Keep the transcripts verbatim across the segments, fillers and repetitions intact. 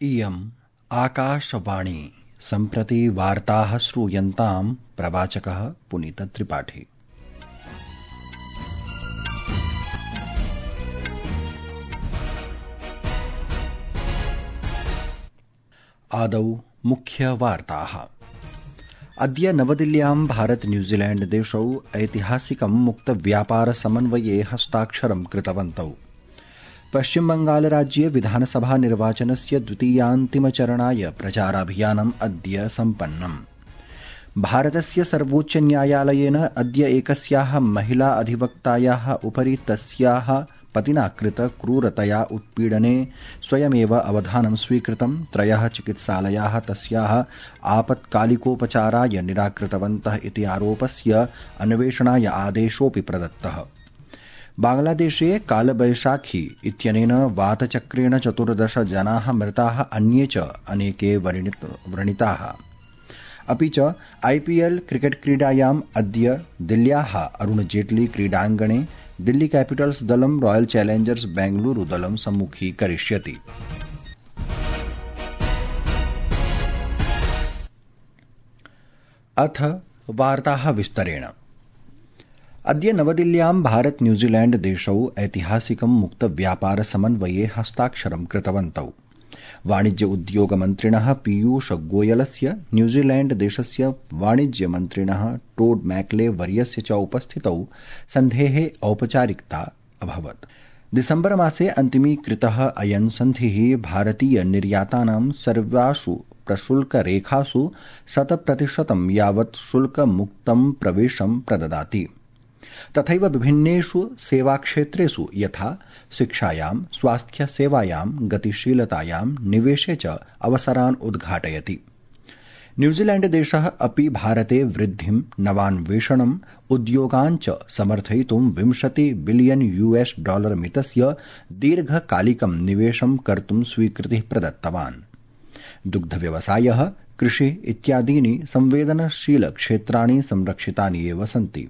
इयम् आकाशवाणी सम्प्रति वार्ताः श्रूयन्ताम् प्रवाचकः पुनीतत्रिपाठी। आदौ मुख्यवार्ताः। अद्य नवदिल्ल्यां भारत न्यूजीलैण्ड देशौ ऐतिहासिकं मुक्तव्यापारसमन्वये हस्ताक्षरं कृतवन्तौ। पश्चिमबंगालराज्ये विधानसभा निर्वाचनस्य द्वितीयान्तिमचरणाय प्रचाराभियानम् अद्य सम्पन्नम्। भारतस्य सर्वोच्चन्यायालयेन अद्य एकस्याः महिला अधिवक्तायाः उपरि तस्याः पतिना कृत क्रूरतया उत्पीडने स्वयमेव अवधानं स्वीकृतं। त्रयः चिकित्सालयाः तस्याः आपत्कालिकोपचाराय निराकृतवन्तः इति आरोपस्य अन्वेषणाय आदेशोऽपि प्रदत्तः। बांग्लादेशे कालबैशाखी इत्यनेन वातचक्रेण चतुर्दश जनाः मृताः, अन्ये च अनेके व्रणिताः। अपि च आईपीएल क्रिकेट क्रीडायाम् अद्य दिल्ल्याः अरुण जेटली क्रीडाङ्गणे दिल्ली कैपिटल्स दलं रॉयल चैलेंजर्स बेंगलुरु दलं सम्मुखीकरिष्यति। अथ वार्ताः विस्तरेण। अद्य नवदिल्ल्यां भारत न्यूजीलैण्ड देशौ ऐतिहासिकं मुक्तव्यापारसमन्वये हस्ताक्षरं कृतवन्तौ। वाणिज्य उद्योग मन्त्रिणः पीयूष गोयलस्य न्यूजीलैण्ड देशस्य वाणिज्य मन्त्रिणः टोड मैकले वर्यस्य च उपस्थितौ सन्धेः औपचारिकता अभवत्। दिसम्बर मासे अन्तिमीकृतः अयं सन्धिः भारतीय निर्यातानां सर्वासु प्रशुल्करेखासु शतप्रतिशतं यावत् शुल्कमुक्तं प्रवेशं प्रददाति। तथैव विभिन्नेषु सेवाक्षेत्रेषु यथा शिक्षायां, स्वास्थ्यसेवायां, गतिशीलतायां, निवेशे च अवसरान् उद्घाटयति। न्यूजीलैण्ड देशः अपि भारते वृद्धिं, नवान्वेषणम्, उद्योगान् च समर्थयितुं विंशति बिलियन यूएस डॉलर मितस्य दीर्घकालिकं निवेशं कर्तुं स्वीकृतिः प्रदत्तवान्। दुग्धव्यवसायः, कृषि इत्यादीनि संवेदनशीलक्षेत्राणि संरक्षितानि एव सन्ति।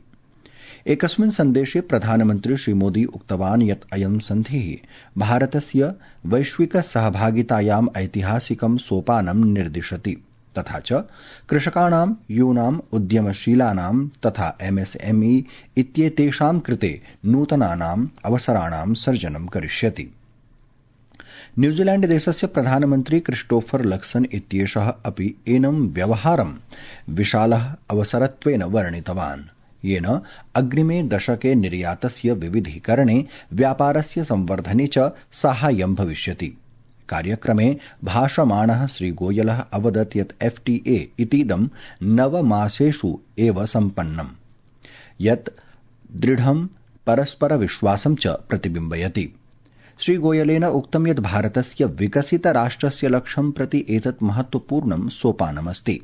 एकस्मिन् सन्देशे प्रधानमन्त्री श्रीमोदी उक्तवान् यत् अयं सन्धिः भारतस्य वैश्विकसहभागितायाम् ऐतिहासिकं सोपानं निर्दिशति, तथा च कृषकाणां, यूनाम्, उद्यमशीलानां तथा एमएसएमई इत्येतेषां कृते नूतनानाम् अवसराणां सर्जनं करिष्यति। न्यूजीलैण्ड देशस्य प्रधानमन्त्री क्रिस्टोफर लक्सन इत्येषः अपि एनं व्यवहारं विशालः अवसरत्वेन वर्णितवान्, येन अग्रिमे दशके निर्यातस्य विविधीकरणे, व्यापारस्य संवर्धने च साहाय्यं भविष्यति। कार्यक्रमे भाषमाणः श्रीगोयलः अवदत् यत् एफटीए इतीदं नवमासेषु एव सम्पन्नम्, यत् दृढं परस्परविश्वासं च प्रतिबिम्बयति। श्रीगोयलेन उक्तं यत् भारतस्य विकसितराष्ट्रस्य लक्ष्यं प्रति एतत् महत्वपूर्णं सोपानमस्ति।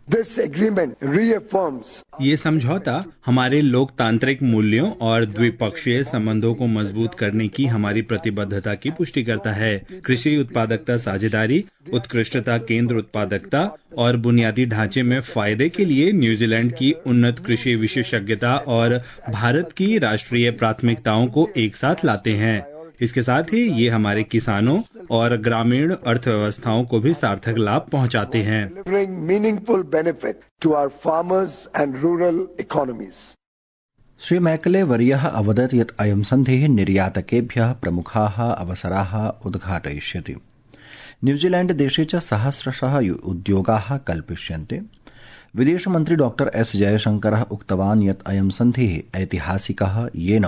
This agreement reaffirms ये समझौता हमारे लोकतांत्रिक मूल्यों और द्विपक्षीय संबंधों को मजबूत करने की हमारी प्रतिबद्धता की पुष्टि करता है। कृषि उत्पादकता साझेदारी, उत्कृष्टता केंद्र उत्पादकता और बुनियादी ढांचे में फायदे के लिए न्यूजीलैंड की उन्नत कृषि विशेषज्ञता और भारत की राष्ट्रीय प्राथमिकताओं को एक साथ लाते हैं। इसके साथ ही ये हमारे किसानों और ग्रामीण अर्थव्यवस्थाओं को भी सार्थक लाभ पहुंचाते हैं। श्री मैकले वर्यः अवदत् यत् अयं सन्धिः निर्यातकेभ्यः प्रमुखाः अवसराः उद्घाटयिष्यति। न्यूजीलैण्ड देशे च सहस्रशः उद्योगाः कल्पिष्यन्ते। विदेशमन्त्री डॉक्टर एस जयशंकरः उक्तवान् यत् अयं सन्धिः ऐतिहासिकः, येन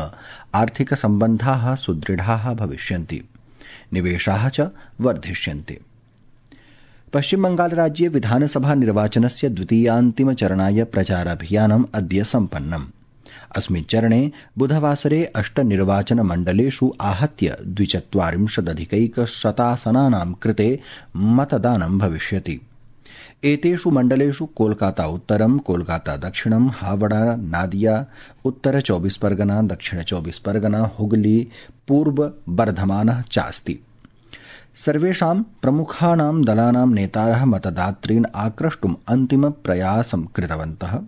आर्थिकसम्बन्धाः सुदृढाः भविष्यन्ति, निवेशाः च वर्धिष्यन्ते। पश्चिमबंगालराज्ये विधानसभा निर्वाचनस्य द्वितीयान्तिमचरणाय प्रचाराभियानम् अद्य सम्पन्नम्। अस्मिन् चरणे बुधवासरे अष्ट निर्वाचनमण्डलेषु आहत्य द्विचत्वारिंशदधिकैकशतासनानां कृते मतदानं भविष्यति। एतेषु मण्डलेषु कोलकाता उत्तरं, कोलकाता दक्षिणं, हावड़ा, नादिया उत्तर चौबीस परगना, दक्षिण चौबीस परगना, हुगली, पूर्व बर्धमानः चास्ति। सर्वेषां प्रमुखानां दलानां नेतारः मतदातॄन् आक्रष्टुम् अन्तिमप्रयासं कृतवन्तः।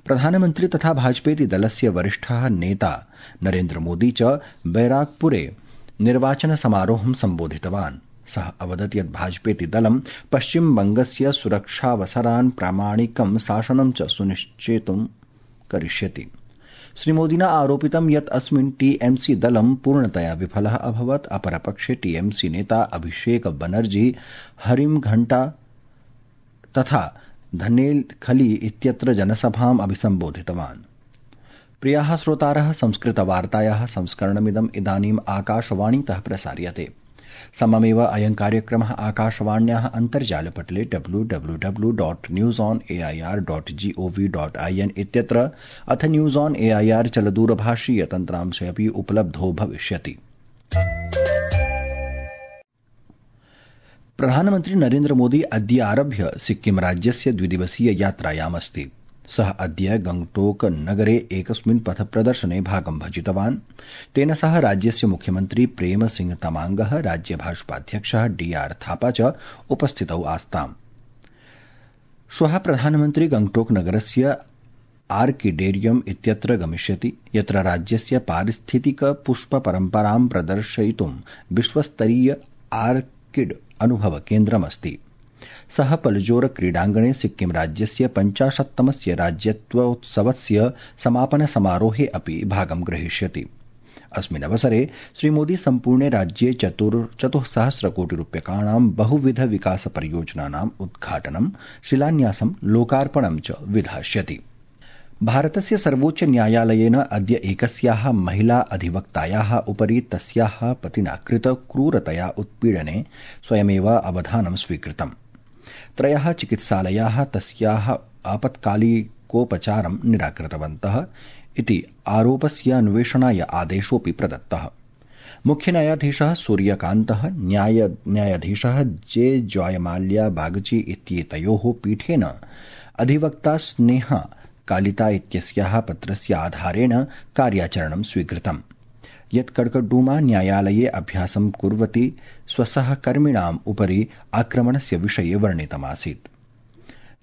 प्रधानमन्त्री तथा भाजपेति दलस्य वरिष्ठः नेता नरेन्द्र मोदी च बैराकपुरे निर्वाचन समारोहं सम्बोधितवान्। सः अवदत् यत् भाजपेति दलं पश्चिमबंगस्य सुरक्षावसरान् प्रामाणिकं शासनं च सुनिश्चेतुं करिष्यति। श्रीमोदिना आरोपितं यत् अस्मिन् टीएमसी दलं पूर्णतया विफलः अभवत्। अपरपक्षे टीएमसी नेता अभिषेक बनर्जी हरिमघण्टा तथा धनेलखली इत्यत्र जनसभाम् अभिसम्बोधितवान्। प्रियाः श्रोतारः, संस्कृतवार्तायाः संस्करणमिदम् इदानीम् आकाशवाणीतः प्रसार्यते। सममेव अयं कार्यक्रमः आकाशवाण्याः अन्तर्जालपटले W W W dot news on A I R dot G O V dot I N इत्यत्र अथ news on A I R चलदूरभाषीय तन्त्रांशे अपि उपलब्धो भविष्यति। प्रधानमन्त्री नरेन्द्र मोदी अद्य आरभ्य सिक्किम राज्यस्य द्विदिवसीय यात्रायामस्ति। सः अद्य गंगटोक नगरे एकस्मिन् पथप्रदर्शने भागं भजितवान्। तेन सह राज्यस्य मुख्यमन्त्री प्रेम सिंह तमांगः, राज्य भाजपाध्यक्षः डी आर थापा च उपस्थितौ आस्ताम्। श्वः प्रधानमन्त्री गंगटोक नगरस्य आर्किडेरियम इत्यत्र गमिष्यति, यत्र राज्यस्य पारिस्थितिक पुष्प परम्परां प्रदर्शयितुं विश्वस्तरीय आर्किड अनुभव केन्द्रमस्ति। सः पलजोर क्रीडाङ्गणे सिक्किम राज्यस्य पञ्चाशत्तमस्य राज्यत्वोत्सवस्य समापन समारोहे अपि भागं ग्रहीष्यति। अस्मिन् अवसरे श्रीमोदी सम्पूर्णे राज्ये चतुस्सहस्रकोटिरूप्यकाणां बहुविध विकास परियोजनानाम् उद्घाटनं, शिलान्यासं, लोकार्पणं च विधास्यति। भारतस्य सर्वोच्च न्यायालयेन अद्य एकस्याः महिला अधिवक्तायाः उपरि तस्याः पतिना कृत क्रूरतया उत्पीडने स्वयमेव अवधानं स्वीकृतम्। त्रयः चिकित्सालयाः तस्याः आपत्कालिकोपचारं निराकृतवन्तः इति आरोपस्य अन्वेषणाय आदेशोऽपि प्रदत्तः। मुख्य न्यायाधीशः सूर्यकान्तः, न्याय न्यायाधीशः जे जॉयमाल्या बागची इत्येतयोः पीठेन अधिवक्ता स्नेहा कालिता इत्यस्याः पत्रस्य आधारेण कार्याचरणं स्वीकृतम्, यत् कड़कड्डूमा न्यायालये अभ्यासं कुर्वती स्वसहकर्मिणाम् उपरि आक्रमणस्य विषये वर्णितमासीत्।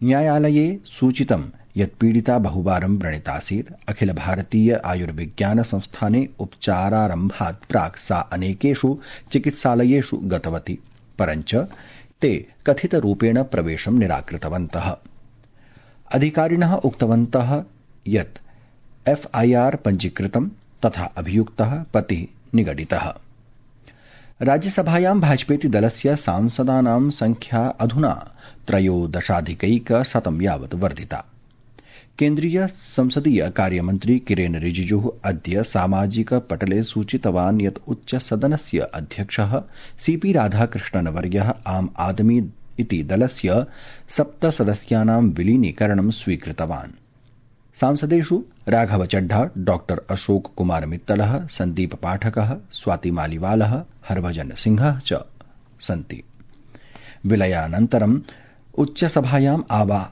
न्यायालये सूचितं यत् पीडिता बहुवारं व्रणितासीत्। अखिल भारतीय आयुर्विज्ञान संस्थाने उपचारारम्भात् प्राक् सा अनेकेषु चिकित्सालयेषु गतवती, परञ्च ते कथितरूपेण प्रवेशं निराकृतवन्तः। अधिकारिणः उक्तवन्तः यत् एफ आई आर पञ्जीकृतं तथा अभियुक्तः पतिः निगडितः। राज्यसभायां भाजपेति दलस्य सांसदानां संख्या अधुना त्रयोदशाधिकैकशतं यावत् वर्धिता। केन्द्रीय संसदीय कार्यमन्त्री किरेन रिजिजुः अद्य सामाजिक पटले सूचितवान् यत् उच्चसदनस्य अध्यक्षः सीपी राधाकृष्णनवर्यः आम आदमी इति दलस्य सप्तसदस्यानां विलीनीकरणं स्वीकृतवान्। सांसदेषु राघव चड्ढा, डॉक्टर अशोक कुमार मित्तलः, संदीप पाठकः, स्वाति मालीवालः, हरभजन सिंहः च सन्ति। विलयानन्तरम् उच्चसभायाम्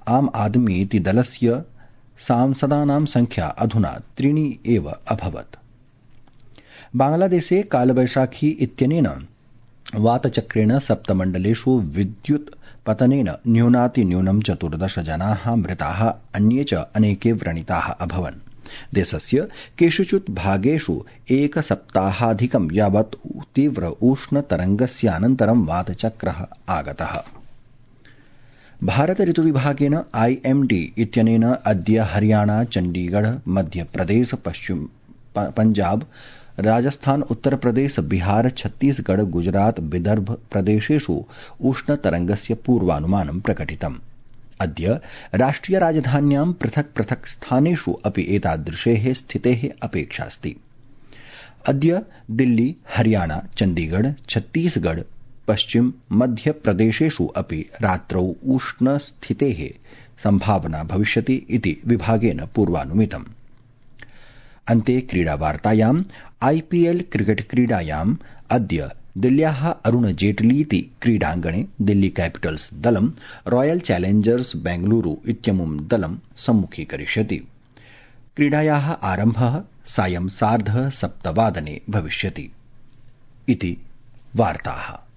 आम आदमी इति दलस्य सांसदानां संख्या अधुना त्रीणि एव अभवत्। बांग्लादेशे कालवैशाखी इत्यनेन वातचक्रेण सप्तमण्डलेषु विद्युत् पतनेन न्यूनातिन्यूनं चतुर्दश जनाः मृताः, अन्ये च अनेके व्रणिताः अभवन्। देशस्य केषुचित् भागेषु एकसप्ताहाधिकं यावत् तीव्र उष्णतरङ्गस्यानन्तरं वातचक्रः आगतः। भारत ऋतुविभागेन आई एम डी इत्यनेन अद्य हरियाणा, चण्डीगढ़, मध्यप्रदेश, पश्चिम पंजाब, राजस्थान, उत्तर प्रदेश, बिहार, छत्तीसगढ़, गुजरात, विदर्भ प्रदेशेषु उष्णतरङ्गस्य पूर्वानुमानं प्रकटितम्। अद्य राष्ट्रिय राजधान्यां पृथक् पृथक् स्थानेषु अपि एतादृशेः स्थितेः अपेक्षास्ति। अद्य दिल्ली, हरियाणा, चण्डीगढ़, छत्तीसगढ़, पश्चिम मध्य प्रदेशेषु अपि रात्रौ उष्णस्थितेः संभावना भविष्यति इति विभागेन पूर्वानुमितम्। अन्ते क्रीडावार्तायाम् आईपीएल क्रिकेट क्रीडायाम् अद्य दिल्ल्याः अरुण जेटलीति क्रीडाङ्गणे दिल्ली कैपिटल्स दलं रॉयल चैलेंजर्स बेंगलुरु इत्यमुं दलं सम्मुखीकरिष्यति। क्रीडायाः आरम्भः सायं सार्ध सप्तवादने भविष्यति। इति वार्ताः।